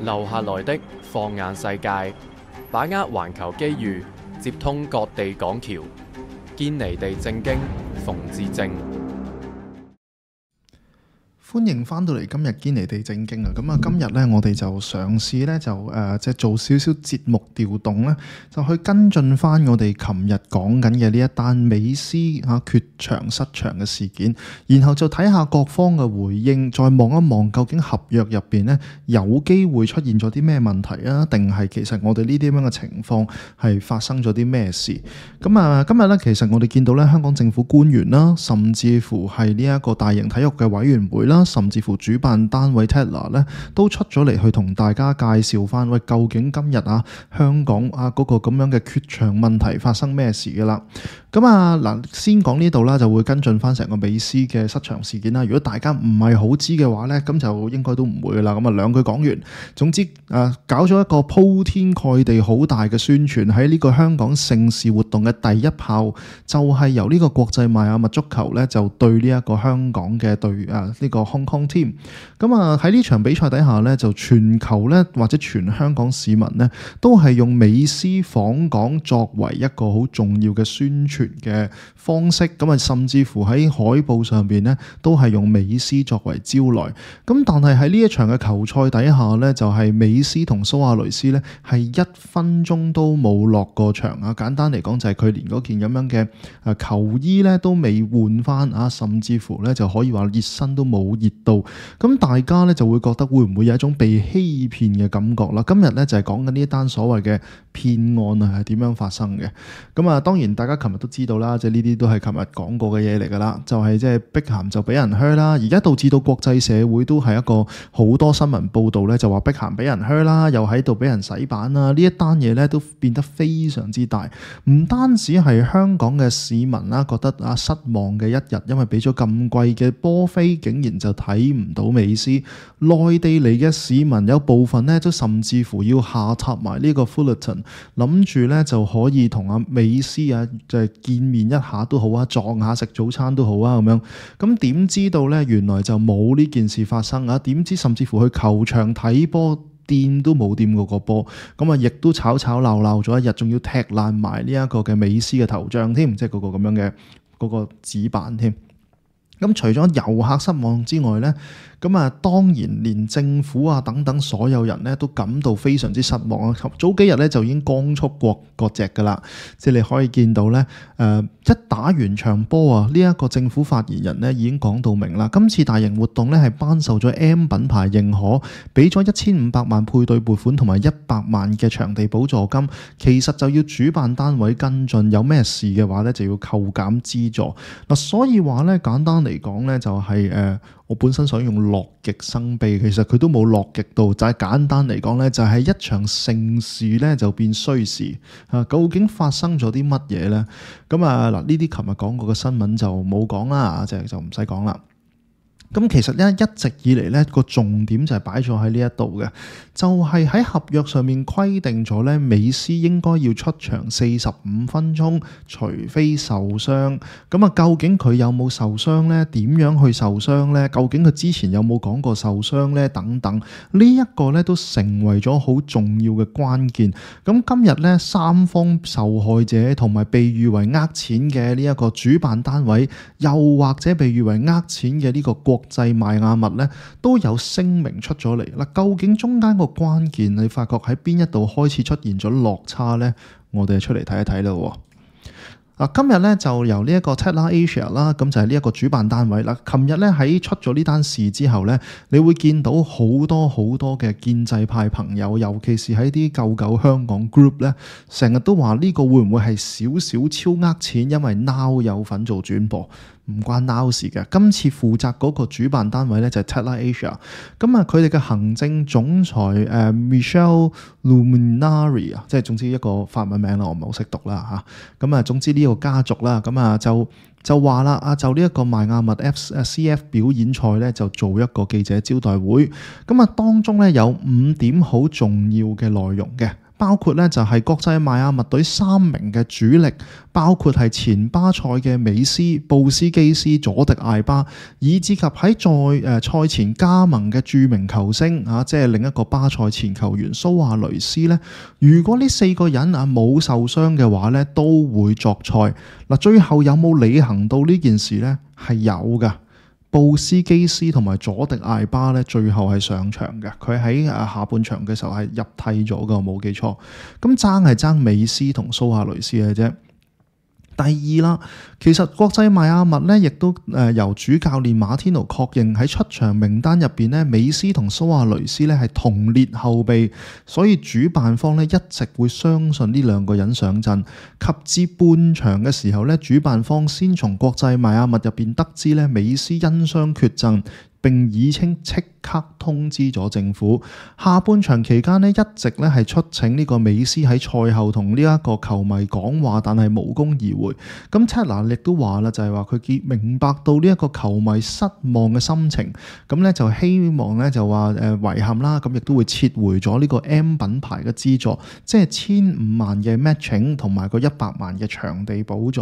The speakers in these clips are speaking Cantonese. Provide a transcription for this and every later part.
留下來的放眼世界，把握環球機遇，接通各地港橋，堅尼地正經，馮智政。歡迎翻到嚟今日堅尼地正經啊！咁啊，今日咧我哋就嘗試咧就即係做少少節目調動咧，就去跟進翻我哋琴日講緊嘅呢一單美斯缺場失場嘅事件，然後就睇下各方嘅回應，再望一望究竟合約入邊咧有機會出現咗啲咩問題啊？定係其實我哋呢啲咁嘅情況係發生咗啲咩事？咁啊，今日咧其實我哋見到咧香港政府官員啦，甚至乎係呢一個大型體育嘅委員會啦，甚至乎主辦單位 Tatler 咧都出咗嚟去同大家介紹翻，喂，究竟今日香港嗰個咁樣嘅缺場問題發生咩事㗎啦？咁啊嗱，先講呢度啦，就會跟進翻成個美斯嘅失場事件啦。如果大家唔係好知嘅話咧，咁就應該都唔會㗎啦。咁啊兩句講完，總之搞咗一個鋪天蓋地好大嘅宣傳，喺呢個香港盛事活動嘅第一炮，就係由呢個國際邁阿密足球咧就對呢一個香港嘅對呢個 Hong Kong team。咁啊喺呢場比賽底下咧，就全球咧或者全香港市民咧都係用美斯訪港作為一個好重要嘅宣傳嘅方式，咁啊甚至乎喺海報上邊咧都係用美斯作為招來。咁但係喺呢一場嘅球賽底下咧，就係美斯同蘇亞雷斯咧係1分鐘都冇落過場啊！簡單嚟講就係佢連嗰件咁樣嘅球衣咧都未換翻啊，甚至乎咧就可以話熱身都冇熱到。咁大家咧就會覺得會唔會有一種被欺騙嘅感覺啦？今日咧就係講緊呢一單所謂嘅騙案係點樣發生嘅。咁啊當然大家琴日都知道啦，即係呢啲都係琴日講過嘅嘢嚟㗎啦，就係即係碧咸就俾人靴啦，而家導致到國際社會都係一個好多新聞報導咧，就話碧咸俾人靴啦，又喺度俾人洗版啦，呢一單嘢咧都變得非常之大，唔單止係香港嘅市民啦覺得失望嘅一日，因為俾咗咁貴嘅波飛，竟然就睇唔到美斯，內地嚟嘅市民有部分咧都甚至乎要下榻埋呢個 Fullerton， 諗住咧就可以同阿美斯就係見面一下都好啊，撞下食早餐都好啊咁樣。咁點知道咧原來就冇呢件事發生啊？點知甚至乎去球場睇波掂都冇掂過個波，咁啊亦都吵吵鬧鬧咗一日，仲要踢爛埋呢一個嘅美斯嘅頭像添，即係嗰個咁樣嘅嗰個紙板添。咁除咗遊客失望之外呢，咁啊當然連政府等等所有人呢都感到非常之失望啊！早幾日呢就已經光速割席㗎啦，即係你可以見到呢，一打完場波呢一個政府發言人呢已經講到明啦，今次大型活動呢係頒授咗 M 品牌認可，俾咗1500萬配對撥款同埋100萬嘅場地補助金，其實就要主辦單位跟進，有咩事嘅話呢就要扣減資助嗱，所以話呢簡單嚟講呢就係我本身想用樂極生悲，其實佢都冇樂極到，就係簡單嚟講呢就係一場盛事呢就變衰事究竟發生咗啲乜嘢呢？咁嗱呢啲琴日講過嘅新聞就冇講啦，就唔使講啦。咁其實一直以嚟呢個重點就係擺咗喺呢一度嘅，就係喺合約上面規定咗呢，美斯應該要出場45分鐘，除非受傷。咁究竟佢有冇受傷呢？點樣去受傷呢？究竟佢之前有冇講過受傷呢？等等，呢一個呢都成為咗好重要嘅關鍵。咁今日呢，三方受害者同埋被譽為呃錢嘅呢一個主辦單位，又或者被譽為呃錢嘅呢個國際邁阿密咧都有聲明出咗嚟啦，究竟中間個關鍵你發覺喺邊一度開始出現咗落差呢？我哋出嚟睇一睇啦。今日咧就由呢一個 Tatler Asia 啦，咁就係呢一個主辦單位啦。琴日咧喺出咗呢單事之後咧，你會見到好多嘅建制派朋友，尤其是喺啲救香港 group 咧，成日都話呢個會唔會係少少超呃錢？因為 Now 有份做轉播。唔關 Now 事嘅，今次負責嗰個主辦單位咧就係 Tatler Asia， 咁佢哋嘅行政總裁Michelle Luminari 即係總之一個法文名啦，我唔係好識讀啦嚇，咁總之呢個家族啦，咁就話啦，就呢一個邁阿密 CF 表演賽咧，就做一個記者招待會，咁當中咧有5點好重要嘅內容嘅。包括咧就係國際邁阿密隊3名嘅主力，包括係前巴塞嘅美斯、布斯基斯、佐迪艾巴，以至及喺賽前加盟嘅著名球星即係另一個巴塞前球員蘇亞雷斯咧。如果呢4個人冇受傷嘅話咧，都會作賽。嗱，最後有冇履行到呢件事咧？係有㗎。布斯基斯同埋佐迪艾巴咧，最後係上場嘅。佢喺下半場嘅時候係入替咗㗎，冇記錯。咁係爭美斯同蘇亞雷斯嘅啫。第二啦，其實國際邁阿密咧，亦都由主教練馬天奴確認喺出場名單入邊咧，美斯同蘇亞雷斯咧係同列後備，所以主辦方咧一直會相信呢2個人上陣。及至半場嘅時候咧，主辦方先從國際邁阿密入邊得知咧，美斯因傷缺陣，並已稱即刻通知咗政府。下半場期間咧，一直咧係出請呢個美斯喺賽後同呢一個球迷講話，但係無功而回。咁切拿亦都話啦，就係話佢明白到呢一個球迷失望嘅心情，咁咧就希望咧就話遺憾啦，咁亦都會撤回咗呢個 M 品牌嘅資助，即係15萬嘅 matching 同埋個100萬嘅場地補助。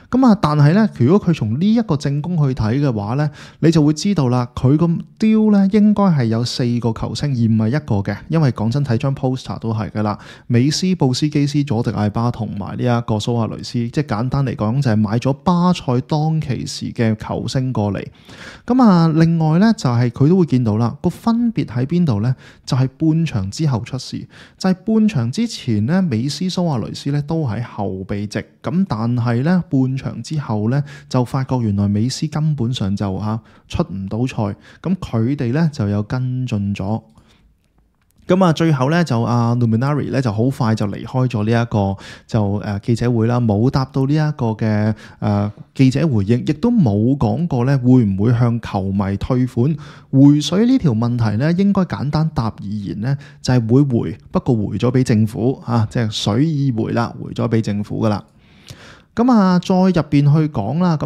咁但係咧，如果佢從呢一個正攻去睇嘅話咧，你就會知道啦，佢個 deal 咧應該係有4個球星，而唔係1個嘅。因為講真，睇張 poster 都係噶啦，美斯、布斯基斯、佐迪艾巴同埋呢一個蘇亞雷斯，即係簡單嚟講就係買咗巴塞當其時嘅球星過嚟。咁另外咧就係佢都會見到啦，個分別喺邊度咧？就係半場之後出事，就係半場之前咧，美斯、蘇亞雷斯咧都喺後備席，咁但係咧半場之後咧就發覺原來美斯根本上就出唔到賽，咁佢哋咧就有跟進咗。咁最後咧就Luminari 咧就好快就離開咗呢一個就記者會啦，冇答到呢一個嘅記者回應，亦都冇講過咧會唔會向球迷退款回水呢條問題咧，應該簡單答而言咧就係會回，不過回咗俾政府即係水已回啦，回咗俾政府噶啦。咁再入邊去講啦，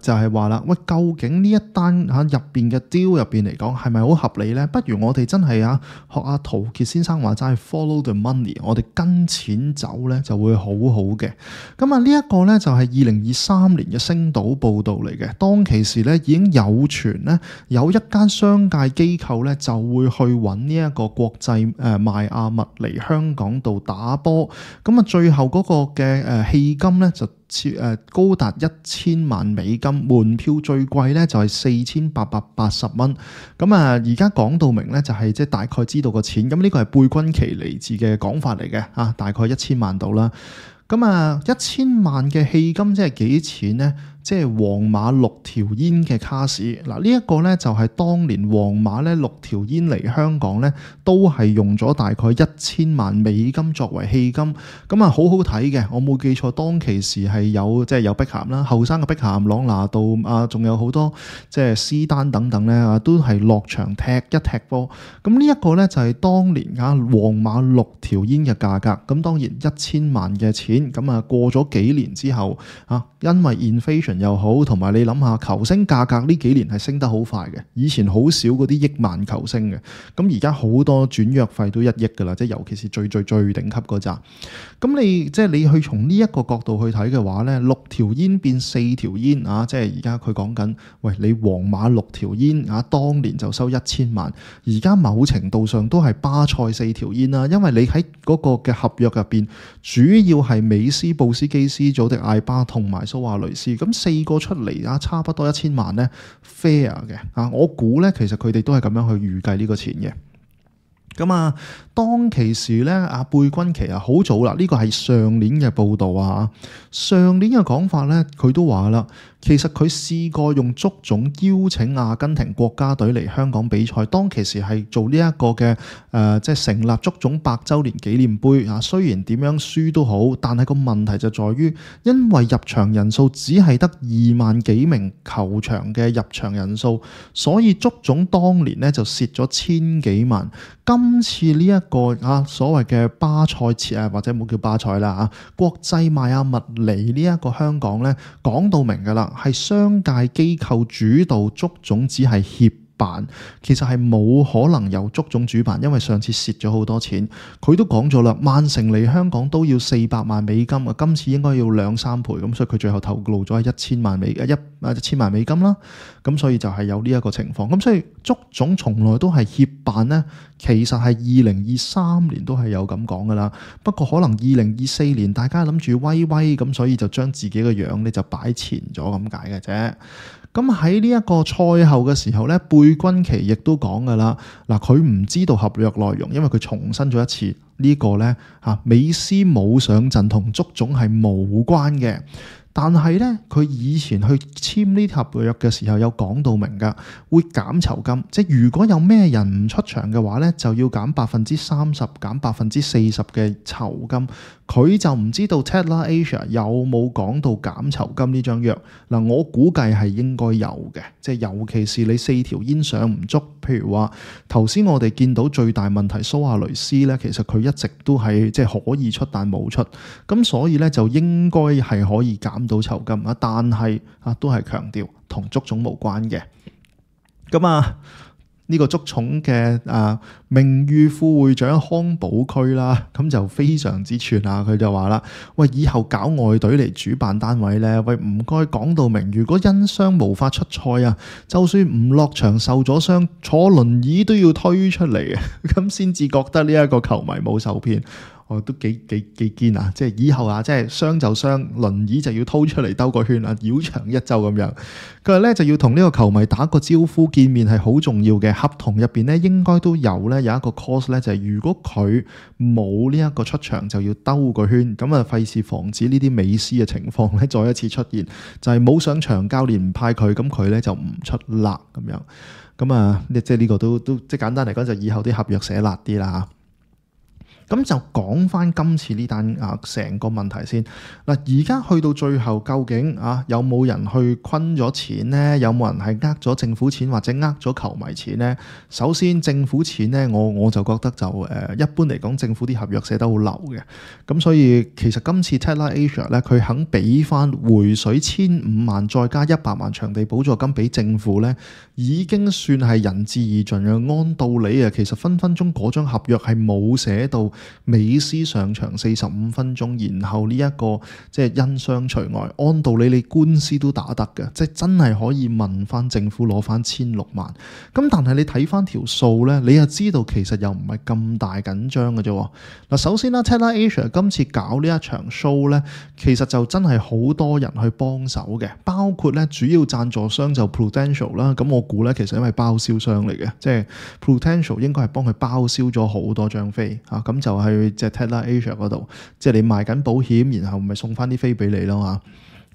就係話啦，喂，究竟呢一單入邊嘅 deal 入邊嚟講係咪好合理呢？不如我哋真係學阿陶傑先生話齋 follow the money， 我哋跟錢走呢就會好好嘅。呢一個呢，就係2023年嘅星島報導嚟嘅，當其時呢，已經有傳呢，有一間商界機構呢，就會去揾呢一個國際邁阿密嚟香港度打波，最後嗰個嘅戲金呢，就高達1000萬美金，門票最貴咧就係4880蚊。而家講到明咧就係即係大概知道個錢，咁呢個係貝君奇尼治嘅講法嚟嘅，大概1000萬到啦。1000萬嘅戲金即係幾錢呢？即係皇馬6條煙嘅卡士。嗱，呢一個呢，就係當年皇馬呢6條煙嚟香港呢，都係用咗大概1000萬美金作為戲金。好好睇嘅，我冇記錯，當其時係有即係有碧咸啦，後生嘅碧咸、朗拿度仲有好多即係斯丹等等呢，都係落場踢一踢波。呢一個呢，就係當年皇馬6條煙嘅價格。咁當然1000萬嘅錢，過咗幾年之後因為 inflation 又好，同埋你諗下球星價格呢幾年係升得好快嘅，以前好少嗰啲億萬球星嘅，而家好多轉約費都1億噶啦，即係尤其是最頂級嗰扎。你即係你去從呢一個角度去睇嘅話呢，6條煙變4條煙即係而家佢講緊，喂，你皇馬6條煙當年就收1000萬，而家某程度上都係巴塞4條煙啦，因為你喺嗰個嘅合約入邊，主要係美斯、布斯基斯、祖迪艾巴同埋蘇亞雷斯，咁4個出嚟差不多1000萬呢 fair 嘅我估呢，其實佢哋都係咁樣去預計呢個錢嘅。當其時咧，貝君奇好早啦，呢個係上年嘅報導上年嘅講法咧，佢都話啦，其實佢試過用足總邀請阿根廷國家隊嚟香港比賽，當其時係做呢一個嘅即係成立足總100週年紀念杯雖然點樣輸都好，但係個問題就在於，因為入場人數只係得2萬幾名球場嘅入場人數，所以足總當年咧就蝕咗1000幾萬。今次呢一個所謂嘅巴塞或者冇叫巴塞啦國際邁阿密嚟呢一個香港咧，講到明㗎啦，係商界機構主導，足總只係協辦，其實係冇可能由足總主辦，因為上次蝕咗好多錢。佢都講咗啦，曼城嚟香港都要400萬美金啊，今次應該要2-3倍，咁所以佢最後透露咗係1000萬美金啦。咁所以就係有呢一個情況。咁所以足總從來都係協辦呢，其實係2023年都係有咁講噶啦。不過可能2024年大家諗住威威咁，所以就將自己嘅樣呢就擺前咗咁解嘅啫。咁喺呢一個賽後嘅時候呢，貝君奇亦都講噶啦，嗱，佢唔知道合約內容，因為佢重申咗一次呢個呢，美斯冇上陣同足總係無關嘅。但係咧，佢以前去簽呢合約嘅時候有講到明㗎，會減酬金，即係如果有咩人唔出場嘅話咧，就要減30%、減40%嘅酬金。佢就唔知道 Tatler Asia 有冇講到減酬金呢張約。嗱，我估計係應該有嘅，即係尤其是你4條煙上唔足，譬如話頭先我哋見到最大問題蘇亞雷斯咧，其實佢一直都係即係可以出但冇出，咁所以咧就應該係可以減到酬金啊，但係都係強調同足總無關嘅。咁呢個足總嘅名譽副會長康寶區啦，咁就非常之串啊！佢就話啦：喂，以後搞外隊嚟主辦單位呢，喂唔該講到明，如果因傷無法出賽啊，就算唔落場受咗傷，坐輪椅都要推出嚟啊，咁先至覺得呢一個球迷冇受騙。都幾堅啊！即係以後即係傷就傷，輪椅就要拖出嚟兜個圈啊，繞場一周咁樣。佢話咧就要同呢個球迷打個招呼，見面係好重要嘅。合同入邊咧應該都有一個 clause 咧，就係如果佢冇呢一個出場，就要兜個圈。咁費事防止呢啲美斯嘅情況咧再一次出現，就係冇上場，教練唔派佢，咁佢咧就唔出辣咁樣。咁即係呢個都即係簡單嚟講，就以後啲合約寫辣啲啦。咁就講翻今次呢單成個問題先。嗱，而家去到最後，究竟有冇人去坤咗錢呢？有冇人係呃咗政府錢或者呃咗球迷錢呢？首先政府錢呢，我就覺得就一般嚟講，政府啲合約寫得好流嘅。咁所以其實今次 Tatler Asia 咧，佢肯俾翻回水15萬，再加100萬場地補助金俾政府呢，已經算係仁至義盡嘅。按道理其實分分鐘嗰張合約係冇寫到美斯上場45分鐘，然後呢一個即係因傷除外。按道理你官司都打得嘅，即係真係可以問翻政府攞翻16萬。咁但係你睇翻條數呢，你又知道其實又唔係咁大緊張嘅啫。嗱，首先啦 Tatler Asia 今次搞呢一場 show 呢，其實就真係好多人去幫手嘅，包括呢主要贊助商就 Prudential 啦。咁我估呢，其實因為包銷商嚟嘅，即係 Prudential 應該係幫佢包銷咗好多張飛啊。咁就去即係 Tatler Asia 嗰度，即係你賣緊保險，然後咪送翻啲飛俾你咯嚇。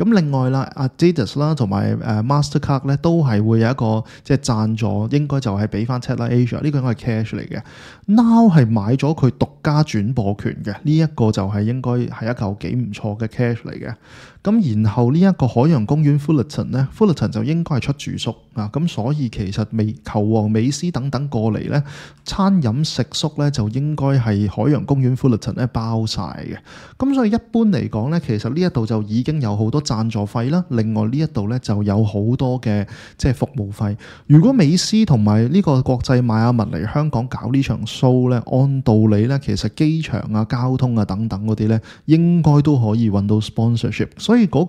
咁另外啦 Adidas 啦同埋Mastercard 咧都係會有一個即係贊助，應該就係俾翻 Tatler Asia， 呢個應該係 cash 嚟嘅。Now 係買咗佢獨家轉播權嘅，呢一個就係應該係一嚿幾唔錯嘅 cash 嚟嘅。咁然後呢一個海洋公園 Fullerton 咧 ，Fullerton 就應該係出住宿啊，咁所以其實球王美斯等等過嚟咧，餐飲食宿咧就應該係海洋公園 Fullerton 咧包晒嘅。咁所以一般嚟講咧，其實呢一度就已經有好多贊助費啦。另外呢一度咧就有好多嘅即係服務費。如果美斯同埋呢個國際邁阿密嚟香港搞呢場 show 咧，按道理咧其實機場交通等等嗰啲咧，應該都可以揾到 sponsorship。所以嗰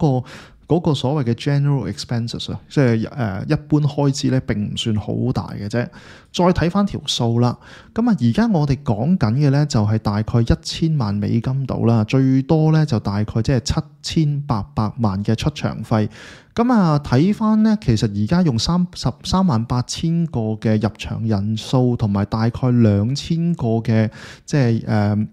個所謂嘅 general expenses 即係一般開支咧並唔算好大嘅啫。再睇翻條數啦，咁而家我哋講緊嘅咧就係大概1000萬美金到啦，最多咧就大概即係7800萬嘅出場費。咁睇翻咧，其實而家用338000個嘅入場人數，同埋大概2000個嘅即係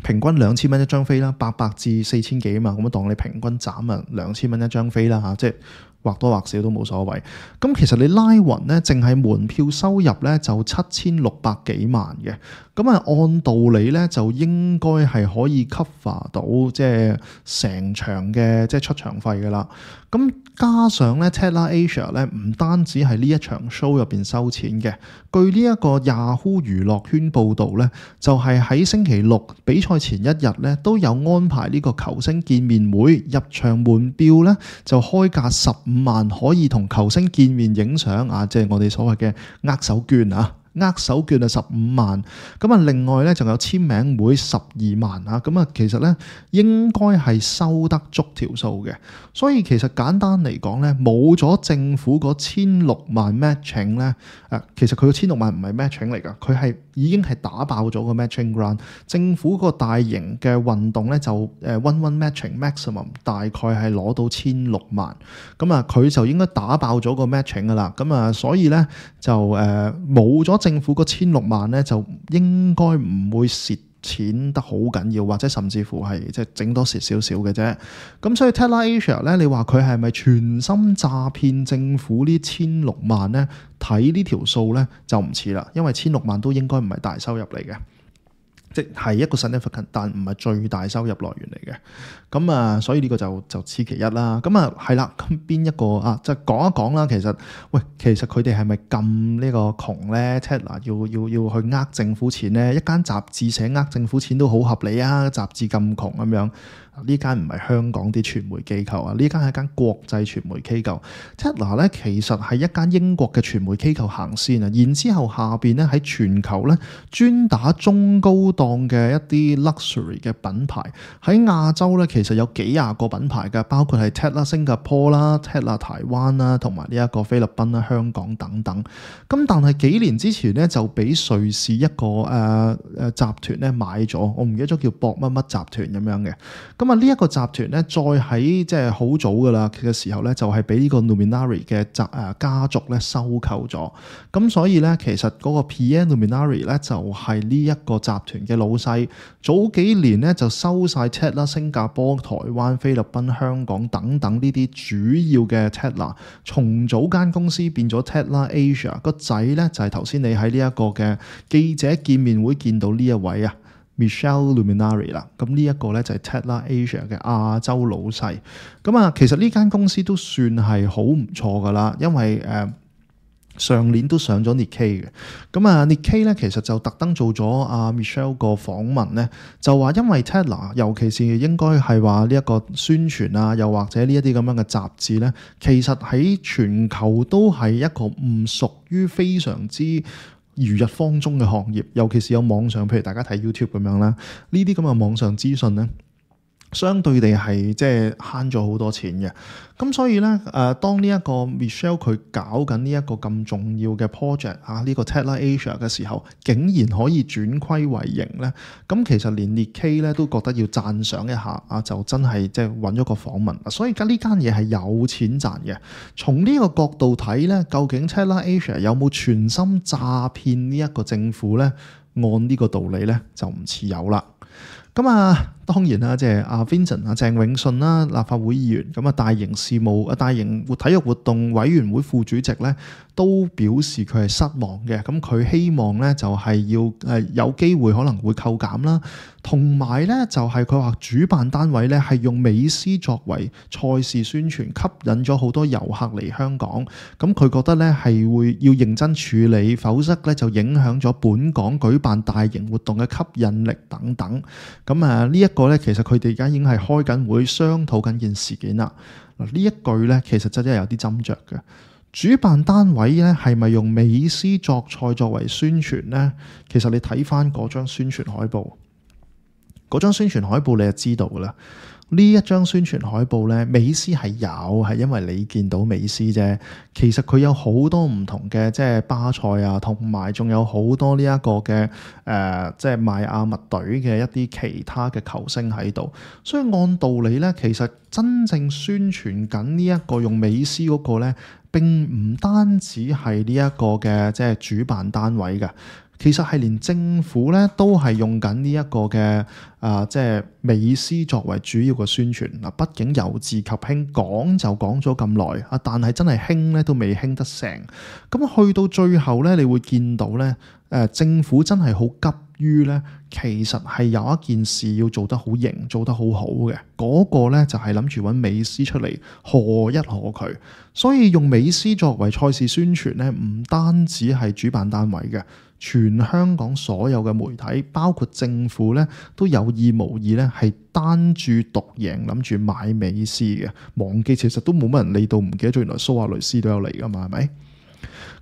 平均2000蚊一張飛啦，800至4000幾啊嘛，咁當你平均斬2000蚊一張飛啦嚇，即係或多或少都冇所謂。咁其實你拉勻咧，淨係門票收入咧就7600幾萬嘅。咁按道理咧就應該係可以 cover 到即係成場嘅即係出場費噶啦。咁加上咧 Tatler Asia 咧唔單止係呢一場 show 入邊收錢嘅，據呢一個 Yahoo 娛樂圈報導咧，就係喺星期六比賽前一日咧都有安排呢個球星見面會，入場門票咧就開價10萬可以同球星見面影相啊，即係我哋所謂嘅握手券啊。握手券啊15萬，咁啊另外咧仲有簽名會12萬啊，咁啊其實咧應該係收得足條數嘅，所以其實簡單嚟講咧，冇咗政府嗰16萬 matching 咧，其實佢個16萬唔係 matching 嚟㗎，佢係已經係打爆咗個 matching grant。政府個大型嘅運動咧就one matching maximum 大概係攞到16萬，咁啊佢就應該打爆咗個 matching 㗎啦，咁啊所以咧就冇咗政府嗰16萬咧，就應該唔會蝕錢得好緊要，或者甚至乎係即係整多蝕少少嘅啫。咁所以 Tatler Asia 咧，你話佢係咪全心詐騙政府呢16萬咧？睇呢條數咧就唔似啦，因為16萬都應該唔係大收入嚟嘅。即係一個 significant， 但唔係最大收入來源嚟嘅。咁啊，所以呢個就此其一啦。咁啊，係啦。咁邊一個啊？就講一講啦。其實佢哋係咪咁呢個窮咧 ？Tatler 要去呃政府錢咧？一間雜誌社呃政府錢都好合理啊！雜誌咁窮咁樣。呢間唔係香港啲傳媒機構啊，呢間係一間國際傳媒機構。Tatler 咧其實係一間英國嘅傳媒機構行先啊，然之後下邊咧喺全球咧專打中高檔嘅一啲 luxury 嘅品牌。喺亞洲咧其實有幾廿個品牌嘅，包括係 Tatler 新加坡啦、Tatler 台灣啦，同埋呢一個菲律賓啦、香港等等。咁但係幾年之前咧就俾瑞士一個集團咧買咗，我唔記得咗叫博乜乜集團咁樣嘅。咁啊呢一個集團咧，再喺即係好早噶啦嘅時候咧，就係俾呢個 Luminary 嘅家族咧收購咗。咁所以咧，其實嗰個 Pierre Luminary 咧就係呢一個集團嘅老細。早幾年咧就收晒 Tatler 新加坡、台灣、菲律賓、香港等等呢啲主要嘅 Tatler，重組間公司變咗 Tatler Asia。個仔咧就係頭先你喺呢一個嘅記者見面會見到呢一位啊。Michelle Luminary 啦，咁呢一個咧就係 Tatler Asia 嘅亞洲老細。咁啊，其實呢間公司都算係好唔錯噶啦，因為上年都上咗 Nikkei 嘅。咁啊 Nikkei 咧其實就特登做咗阿 Michelle 個訪問咧，就話因為 Tatler 尤其是應該係話呢一個宣傳啊，又或者呢一啲咁樣嘅雜誌咧，其實喺全球都係一個唔屬於非常之如日方中嘅行業，尤其是有網上，譬如大家睇 YouTube 咁樣啦，呢啲咁嘅網上資訊咧，相對地係即係慳咗好多錢嘅。咁所以咧，當呢一個 Michelle 佢搞緊呢一個咁重要嘅 project 啊，呢個 Tatler Asia 嘅時候，竟然可以轉虧為盈咧，咁其實連 Nikkei 咧都覺得要讚賞一下啊，就真係即係揾咗個訪問。所以而家呢間嘢係有錢賺嘅。從呢個角度睇咧，究竟 Tatler Asia 有冇全心詐騙呢一個政府咧？按呢個道理咧，就唔似有啦。咁啊，當然啦，即係阿 Vincent 啊，鄭永信啦，立法會議員，咁啊，大型體育活動委員會副主席咧，都表示佢係失望嘅。咁佢希望咧就係要有機會可能會扣減啦，同埋咧就係佢話主辦單位咧係用美斯作為賽事宣傳，吸引咗好多遊客嚟香港。咁佢覺得咧係會要認真處理，否則咧就影響咗本港舉辦大型活動嘅吸引力等等。咁啊呢一個咧，其實佢哋而家已經係開緊會商討緊件事件啦。嗱呢一句咧，其實真係有啲斟酌嘅。主辦單位咧係咪用美斯作賽作為宣傳咧？其實你睇翻嗰張宣傳海報，嗰張宣傳海報你就知道噶啦。呢一張宣傳海報咧，美斯係有，係因為你見到美斯啫。其實佢有好多唔同嘅，即係巴塞啊，同埋仲有好多呢一個嘅即係邁阿密隊嘅一啲其他嘅球星喺度。所以按道理咧，其實真正宣傳緊呢一個用美斯嗰個咧，並唔單止係呢一個嘅即係主辦單位嘅。其實係連政府咧都係用緊呢一個嘅即係美斯作為主要嘅宣傳嗱。畢竟由治及興講就講咗咁耐啊，但係真係興咧都未興得成。咁去到最後咧，你會見到咧政府真係好急於咧，其實係有一件事要做得好型，做得好好嘅。嗰個咧就係諗住揾美斯出嚟賀一賀佢。所以用美斯作為賽事宣傳咧，唔單止係主辦單位嘅。全香港所有嘅媒體，包括政府咧，都有意無意咧係單注獨贏，諗住買美斯嘅。忘記其實都冇乜人理到，唔記得咗原來蘇亞雷斯都有嚟噶嘛，係咪？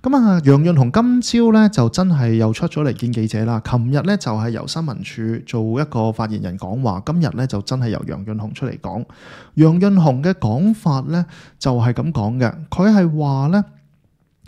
咁啊，楊潤雄今朝咧就真係又出咗嚟見記者啦。琴日咧就係由新聞處做一個發言人講話，今日咧就真係由楊潤雄出嚟講。楊潤雄嘅講法咧就係咁講嘅，佢係話咧。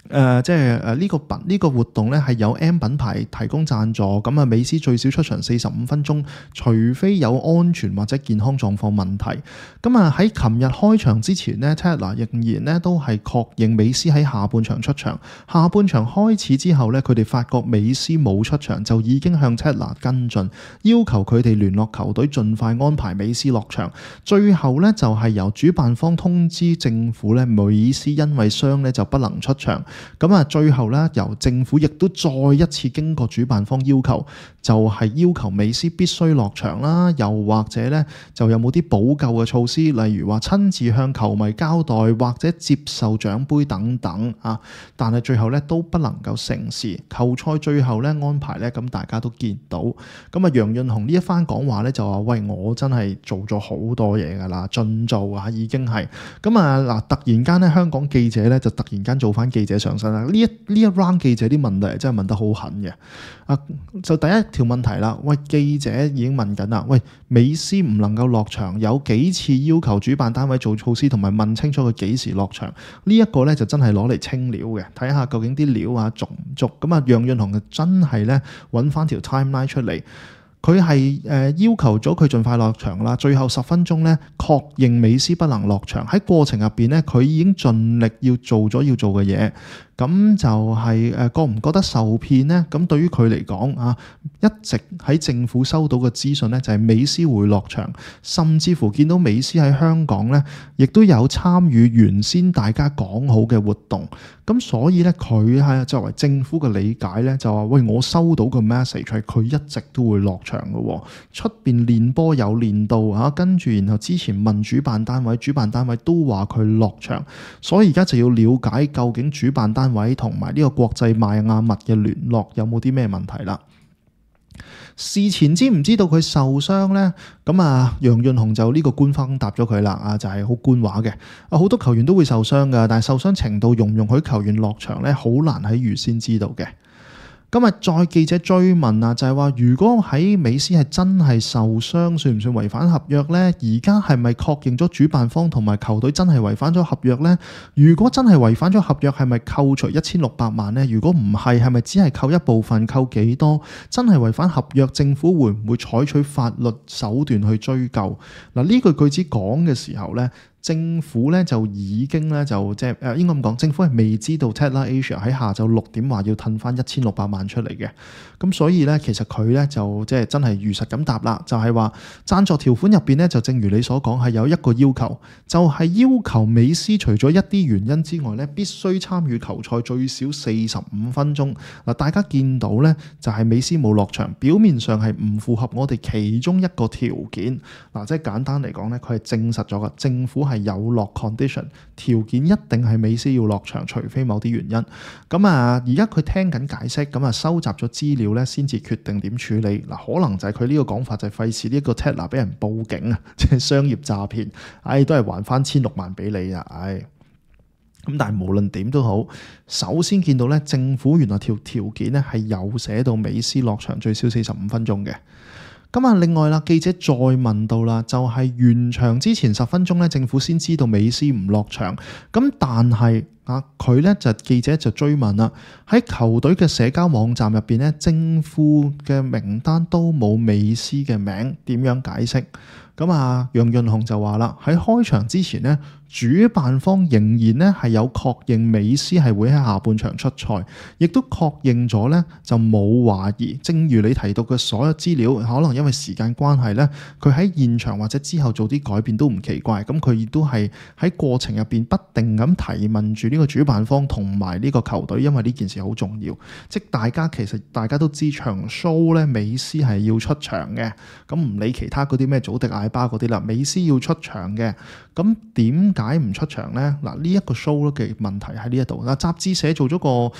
呢個活動咧係有 M 品牌提供贊助，咁啊美斯最少出場45分鐘，除非有安全或者健康狀況問題。咁啊喺琴日開場之前呢 Tatler 仍然咧都係確認美斯喺下半場出場。下半場開始之後咧，佢哋發覺美斯冇出場，就已經向 Tatler 跟進，要求佢哋聯絡球隊盡快安排美斯落場。最後咧就係由主辦方通知政府咧，美斯因為傷咧就不能出場。咁啊，最後咧，由政府亦都再一次經過主辦方要求，就係要求美斯必須落場啦，又或者咧就有冇啲補救嘅措施，例如話親自向球迷交代，或者接受獎杯等等啊。但係最後咧都不能夠成事。球賽最後咧安排咧，咁大家都見到。咁啊，楊潤雄呢一番講話咧就話：喂，我真係做咗好多嘢㗎啦，盡做啊，已經係。咁啊嗱，突然間咧香港記者咧就突然間做翻記者上身啦。呢一 round 記者啲問題真係問得好狠嘅。就第一條問題啦，喂，記者已經問緊啦，喂，美斯唔能夠落場，有幾次要求主辦單位做措施，同埋問清楚佢幾時落場。呢一個咧就真係攞嚟清料嘅，睇下究竟啲料啊足唔足。咁啊，楊潤雄就真係咧揾翻條 timeline 出嚟。佢係要求咗佢盡快落場啦，最後10分鐘咧確認美斯不能落場。喺過程入邊咧，佢已經盡力要做咗要做嘅嘢。咁就係覺唔覺得受騙呢？咁對於佢嚟講啊，一直喺政府收到嘅資訊呢，就係美斯會落場，甚至乎見到美斯喺香港呢，亦都有參與原先大家講好嘅活動。咁所以呢，佢係作為政府嘅理解呢，就話：喂，我收到個 message 係佢一直都會落場嘅，出邊練波有練到啊，跟住然後之前問主辦單位，主辦單位都話佢落場，所以而家就要了解究竟主辦單位同埋呢個國際邁亞密嘅聯絡有冇啲咩問題啦？事前知唔知道佢受傷呢？咁啊，楊潤雄就呢個官方答咗佢啦，啊就係好官話嘅。好多球員都會受傷噶，但係受傷程度容唔容許球員落場呢？好難喺預先知道嘅。今日再記者追問啊，就係話如果喺美斯係真係受傷，算唔算違反合約呢？而家係咪確認咗主辦方同埋球隊真係違反咗合約呢？如果真係違反咗合約，係咪扣除1600萬呢？如果唔係，係咪只係扣一部分？扣幾多？真係違反合約，政府會唔會採取法律手段去追究？嗱，呢句句子講嘅時候呢，政府咧就已經咧就即係應該咁講，政府係未知道 Tatler Asia 喺下晝6點話要褪翻1600萬出嚟嘅。咁所以咧，其實佢咧就即係真係如實咁答啦，就係話贊助條款入邊咧，就正如你所講係有一個要求，就係要求美斯除咗一啲原因之外咧，必須參與球賽最少45分鐘。嗱，大家見到咧就係美斯冇落場，表面上係唔符合我哋其中一個條件。嗱，即係簡單嚟講咧，佢係證實咗嘅，政府係有落 condition 條件，一定係美斯要落場，除非某啲原因。咁啊，而家佢聽緊解釋，咁啊收集咗資料咧，先至決定點處理。嗱，可能就係佢呢個講法就係費事呢個 Tatler 俾人報警啊，即係商業詐騙。都係還翻1600萬俾你啊！咁但係無論點都好，首先見到咧，政府原來條件咧係有寫到美斯落場最少45分鐘嘅。咁啊，另外啦，記者再問到啦，就係完場之前10分鐘咧，政府先知道美斯唔落場。咁但係佢咧就記者就追問啦，喺球隊嘅社交網站入邊咧，政府嘅名單都冇美斯嘅名，點樣解釋？咁啊，楊潤雄就話啦，喺開場之前呢，主辦方仍然咧係有確認美斯係會喺下半場出賽，亦都確認咗咧就冇懷疑。正如你提到嘅所有資料，可能因為時間關係咧，佢喺現場或者之後做啲改變都唔奇怪。咁佢亦都係喺過程入邊不定咁提問住呢個主辦方同埋呢個球隊，因為呢件事好重要。即大家其實大家都知場 show 咧，美斯係要出場嘅。咁唔理其他嗰啲咩祖迪艾巴嗰啲啦，美斯要出場嘅。咁點解唔出場呢？嗱，呢一個 show 嘅問題喺呢一度。嗱，雜誌社做咗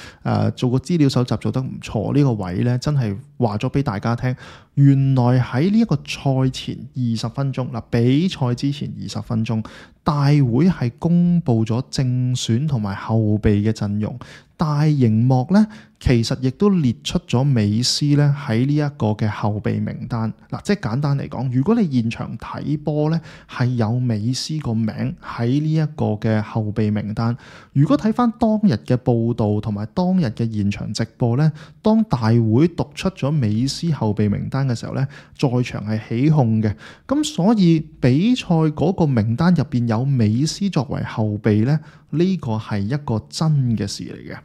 做個資料搜集做得唔錯，呢個位呢真係話咗俾大家聽。原來喺呢一個賽前20分鐘，嗱，比賽之前20分鐘，大會係公布咗正選同埋後備嘅陣容。大熒幕咧，其實亦都列出咗美斯咧喺呢一個嘅後備名單。嗱，即係簡單嚟講，如果你現場睇波咧，係有美斯個名喺呢一個嘅後備名單。如果睇翻當日嘅報導同埋當日嘅現場直播咧，當大會讀出咗美斯後備名單嘅時候咧，在場係起哄嘅。咁所以比賽嗰個名單入邊有美斯作為後備咧，呢個係一個真嘅事嚟嘅。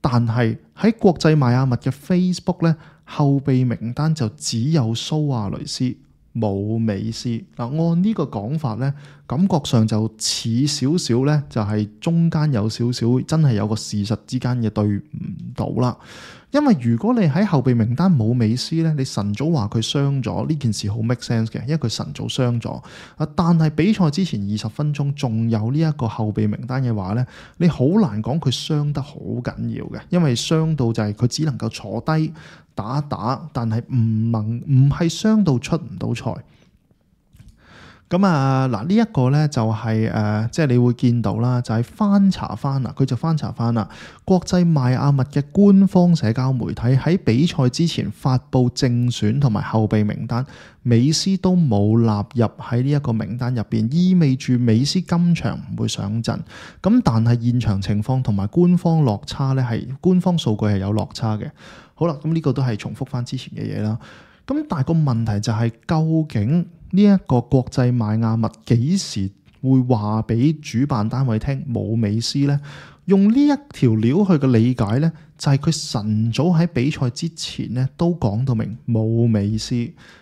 但係喺國際邁阿密嘅 Facebook 咧，後備名單就只有蘇亞雷斯，冇美斯。嗱，按呢個講法咧，感覺上就似少少咧，就係中間有少少真係有個事實之間嘅對唔到啦。因為如果你喺後備名單冇美斯咧，你晨早話佢傷咗，呢件事好 make sense 嘅，因為佢晨早傷咗。但係比賽之前20分鐘仲有呢一個後備名單嘅話咧，你好難講佢傷得好緊要嘅，因為傷到就係佢只能夠坐低打一打，但係唔係傷到出唔到賽。咁嗱，呢一個咧就係即係你會見到啦，就係翻查翻啦，佢就翻查翻啦。國際邁阿密嘅官方社交媒體喺比賽之前發布正選同埋後備名單，美斯都冇納入喺呢一個名單入邊，意味住美斯今場唔會上陣。咁但係現場情況同埋官方落差咧，係官方數據係有落差嘅。好啦，咁呢個都係重複翻之前嘅嘢啦。咁但係個問題就係，究竟呢一個國際邁阿密幾時會話俾主辦單位聽冇美斯呢？用呢一條料去嘅理解呢，就係佢晨早喺比賽之前呢都講到明冇美斯。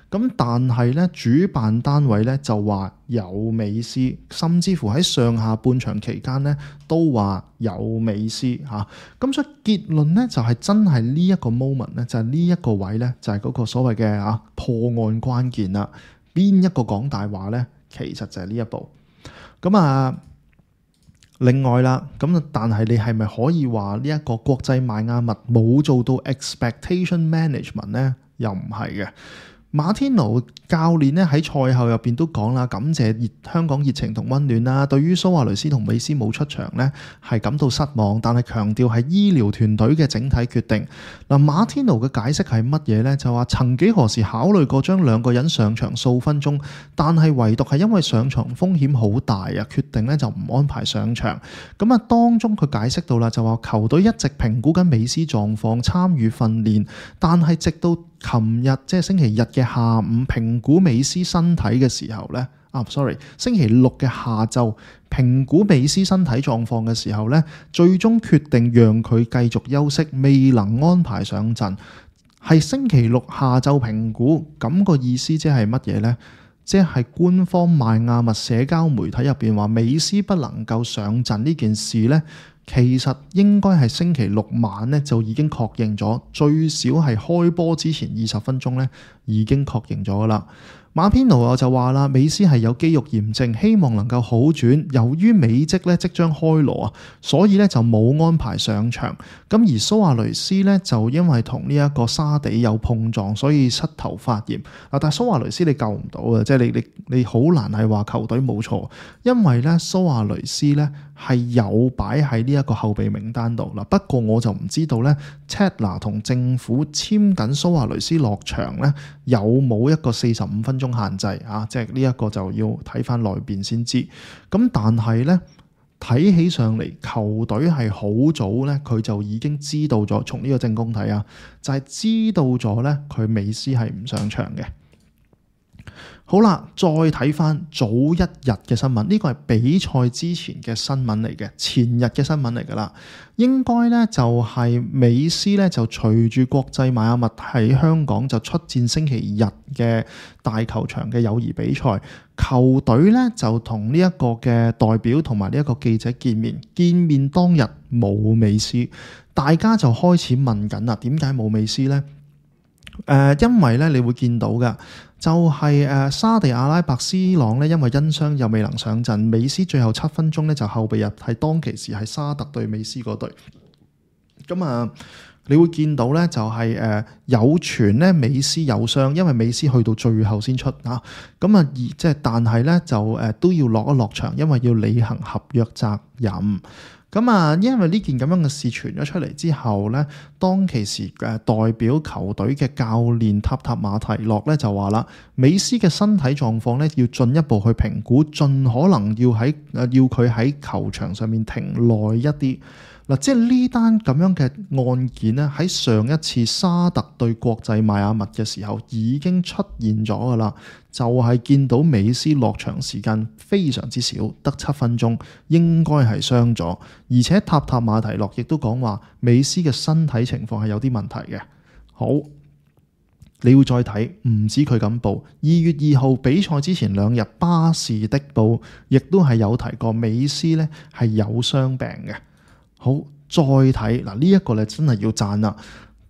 咁但係呢，主辦單位呢就話有美斯，甚至乎喺上下半場期間呢都話有美斯嚇。咁所以結論呢，就係真係呢一個 moment 呢，就係呢一個位呢，就係嗰個所謂嘅破案關鍵啦。邊一個講大話呢？其實就係呢一步。咁另外啦，但係你係咪可以話呢一個國際邁阿密冇做到 expectation management 呢？又唔係嘅。馬天奴教練咧喺賽後入邊都講啦，感謝香港熱情同溫暖啦。對於蘇亞雷斯同美斯冇出場呢，係感到失望，但係強調係醫療團隊嘅整體決定。嗱，馬天奴嘅解釋係乜嘢呢？就話曾幾何時考慮過將兩個人上場數分鐘，但係唯獨係因為上場風險好大啊，決定咧就唔安排上場。當中佢解釋到啦，就話球隊一直評估緊美斯狀況，參與訓練，但係直到琴日即係星期日嘅下午評估美斯身體嘅時候呢，星期六嘅下晝評估美斯身體狀況嘅時候呢，最終決定讓佢繼續休息，未能安排上陣。係星期六下晝評估，咁個意思即係乜嘢呢？即係官方邁阿密社交媒體入邊話美斯不能夠上陣呢件事呢，其實應該係星期六晚咧就已經確認咗，最少係開波之前20分鐘咧已經確認咗啦。馬天奴就話啦，美斯係有肌肉炎症，希望能夠好轉。由於美職咧即將開鑼啊，所以咧就冇安排上場。咁而蘇亞雷斯咧就因為同呢一個沙地有碰撞，所以膝頭發炎。但係蘇亞雷斯你救唔到啊，即係你好難係話球隊冇錯，因為咧蘇亞雷斯咧係有擺喺呢一個後備名單度嗱。不過我就唔知道咧 Tatler 同政府簽緊蘇亞雷斯落場咧有冇一個45分鐘限制啊？即係呢一個就要睇翻內邊先知。咁但係咧睇起上嚟，球隊係好早咧，佢就已經知道咗。從呢個正攻睇啊，就係知道咗咧，佢美斯係唔上場嘅。好啦，再睇翻早一日嘅新聞，呢個係比賽之前嘅新聞嚟嘅，前日嘅新聞嚟㗎啦。應該咧就係美斯咧就隨住國際邁阿密喺香港就出戰星期日嘅大球場嘅友誼比賽，球隊咧就同呢一個嘅代表同埋呢一個記者見面當日冇美斯，大家就開始問緊啦，點解冇美斯呢？因為咧你會見到嘅就係沙地阿拉伯 C 朗咧，因為因傷又未能上陣，美斯最後7分鐘咧就後備入，係當其時係沙特對美斯嗰隊。咁你會見到咧就係有傳咧美斯有傷，因為美斯去到最後先出啊。但係咧就都要落場，因為要履行合約責任。因為呢件咁樣嘅事傳咗出嚟之後咧，當其時代表球隊嘅教練塔馬提諾咧就話啦，美斯嘅身體狀況咧要進一步去評估，盡可能要佢喺球場上面停耐一啲。嗱，即係呢單咁樣嘅案件咧，喺上一次沙特對國際邁阿密嘅時候已經出現咗噶啦，就係見到美斯落場時間非常之少，得7分鐘，應該係傷咗。而且塔馬提諾亦都講話，美斯嘅身體情況係有啲問題嘅。好，你會再睇，唔止佢咁報。2月2號比賽之前2日，巴士的報亦都係有提過美斯咧係有傷病嘅。好，再睇嗱，呢一個咧真係要讚啦。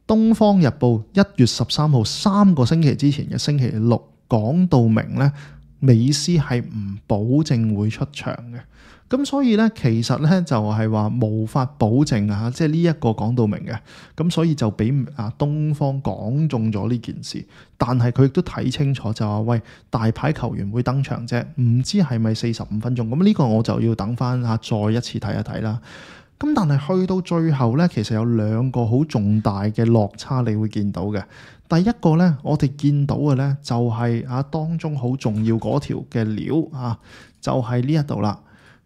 東方日報1月13號3個星期之前嘅星期六講到明咧，美斯係唔保證會出場嘅。咁所以咧，其實咧就係話無法保證啊，即係呢一個講到明嘅。咁所以就俾東方講中咗呢件事，但係佢亦都睇清楚就話，喂，大牌球員會登場啫，唔知係咪45分鐘？咁呢個我就要等翻再一次睇一睇啦。咁但係去到最後咧，其實有2個好重大嘅落差，你會見到嘅。第一個咧，我哋見到嘅咧就係當中好重要嗰條嘅料就係呢一度啦。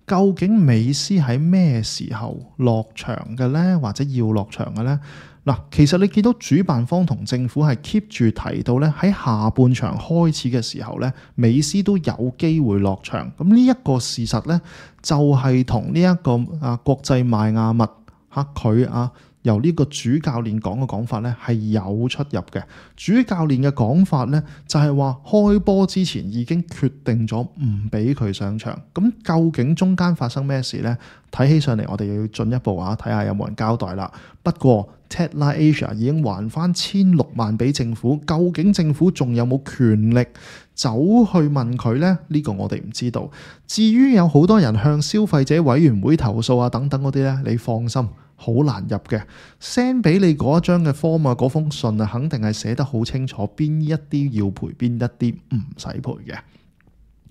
究竟美斯喺咩時候落場嘅咧，或者要落場嘅咧？嗱，其實你見到主辦方同政府係 keep 住提到咧，喺下半場開始嘅時候咧，美斯都有機會落場。咁呢一個事實咧，就係同呢一個國際邁阿密佢由呢個主教練講嘅講法咧係有出入嘅。主教練嘅講法咧就係話開波之前已經決定咗唔俾佢上場。咁究竟中間發生咩事咧？睇起上嚟我哋又要進一步睇下有冇人交代啦。不過 Tatler Asia 已經還翻16萬俾政府，究竟政府仲有冇權力走去問佢呢？呢個我哋唔知道。至於有好多人向消費者委員會投訴等等嗰啲呢，你放心，好難入嘅。send 俾你嗰一張嘅 form 嗰封信肯定係寫得好清楚，邊一啲要賠，邊一啲唔使賠嘅。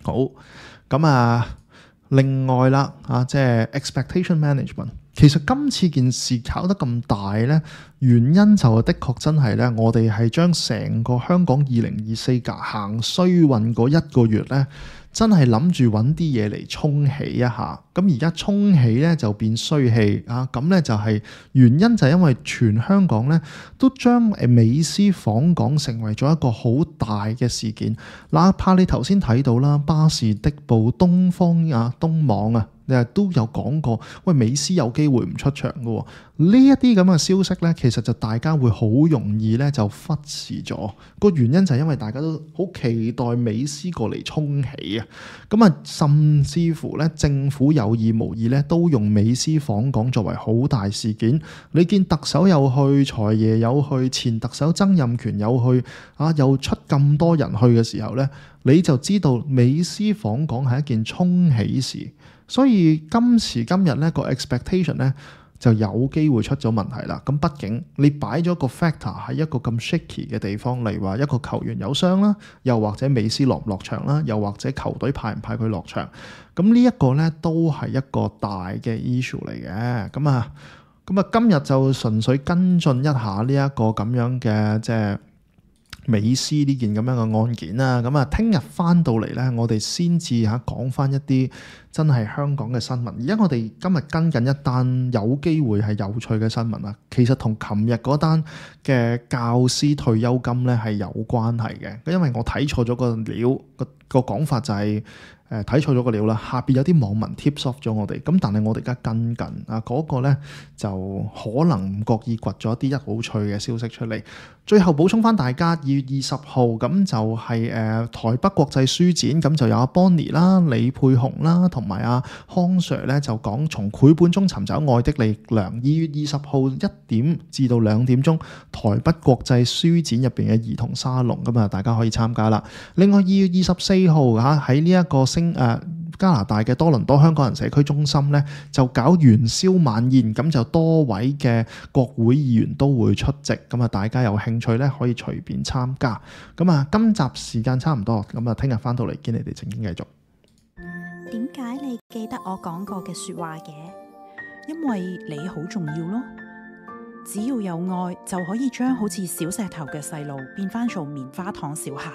好，咁另外啦，即係 expectation management。其實今次件事搞得咁大呢，原因就的確真係呢，我哋係將成個香港2024行衰運嗰1個月呢，真係諗住揾啲嘢嚟沖起一下。咁而家沖起呢，就變衰氣咁呢就係原因就係因為全香港呢都將美斯訪港成為咗一個好大嘅事件。哪怕你頭先睇到啦，巴士的報、東方東網都有講過，喂，美斯有機會唔出場嘅喎。呢一啲咁嘅消息呢，其實就大家會好容易呢就忽視咗。個原因就係因為大家都好期待美斯過嚟沖起甚至乎呢政府有意無意呢都用美斯訪港作為好大事件。你見特首有去，財爺有去，前特首曾蔭權有去，又出咁多人去嘅時候呢，你就知道美斯訪港係一件沖起事。所以今時今日呢個 expectation 呢就有機會出咗問題啦。咁畢竟你擺咗個 factor 喺一個咁 shaky 嘅地方，例如話一個球員有傷啦，又或者美斯落唔落場啦，又或者球隊派唔派佢落場，咁呢一個呢都係一個大嘅 issue 嚟嘅。咁今日就純粹跟進一下呢一個咁樣嘅即係美斯呢件咁樣嘅案件啦。咁啊，聽日翻到嚟呢，我哋先至講翻一啲真係香港嘅新聞。而家我哋今日跟緊一單有機會係有趣嘅新聞啦。其實同琴日嗰單嘅教師退休金呢係有關係嘅，因為我睇錯咗個料，個講法就係睇錯咗個料啦。下邊有啲網民 tips off 咗我哋，咁但係我哋而家跟緊啊嗰個呢，就可能唔覺意掘咗一啲好趣嘅消息出嚟。最後補充翻大家，2月20號咁就係台北國際書展，咁就有阿 Bonnie 啦、李沛紅啦同埋阿康 Sir 咧就講從繪本中尋找愛的力量。2月20號1點至到2點鐘，台北國際書展入邊嘅兒童沙龍，咁啊大家可以參加啦。另外2月24號喺呢一個加拿大嘅多倫多香港人社區中心咧，就搞元宵晚宴，咁就多位嘅國會議員都會出席，咁啊大家有興趣咧可以隨便參加。咁啊今集時間差唔多，咁啊聽日翻到嚟見你哋正經繼續。點解你記得我講過嘅說話嘅？因為你好重要咯。只要有愛，就可以將好似小石頭嘅細路變翻做棉花糖小孩。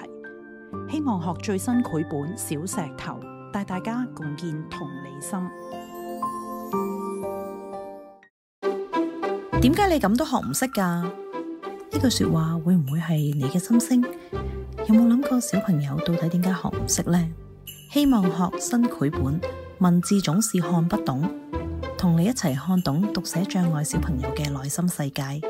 希望學最新繪本《小石頭》，帶大家共建同理心。點解你咁都學唔識㗎？呢句說話會唔會係你嘅心聲？有冇諗過小朋友到底點解學唔識呢？希望學新繪本，文字總是看不懂，同你一齊看懂讀寫障礙小朋友嘅內心世界。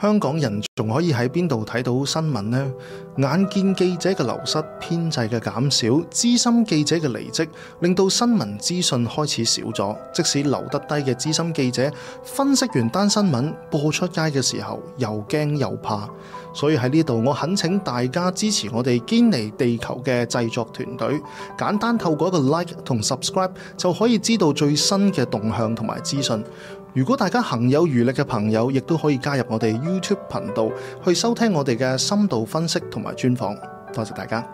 香港人仲可以喺邊度睇到新聞呢？眼見記者嘅流失、編制嘅減少、資深記者嘅離職，令到新聞資訊開始少咗。即使留得低嘅資深記者，分析完單新聞播出街嘅時候，又驚又怕。所以喺呢度，我懇請大家支持我哋堅尼地球嘅製作團隊，簡單透過一個 like 同 subscribe 就可以知道最新嘅動向同埋資訊。如果大家行有餘力嘅朋友，亦都可以加入我哋 YouTube 頻道去收聽我哋嘅深度分析同埋專訪。多謝大家。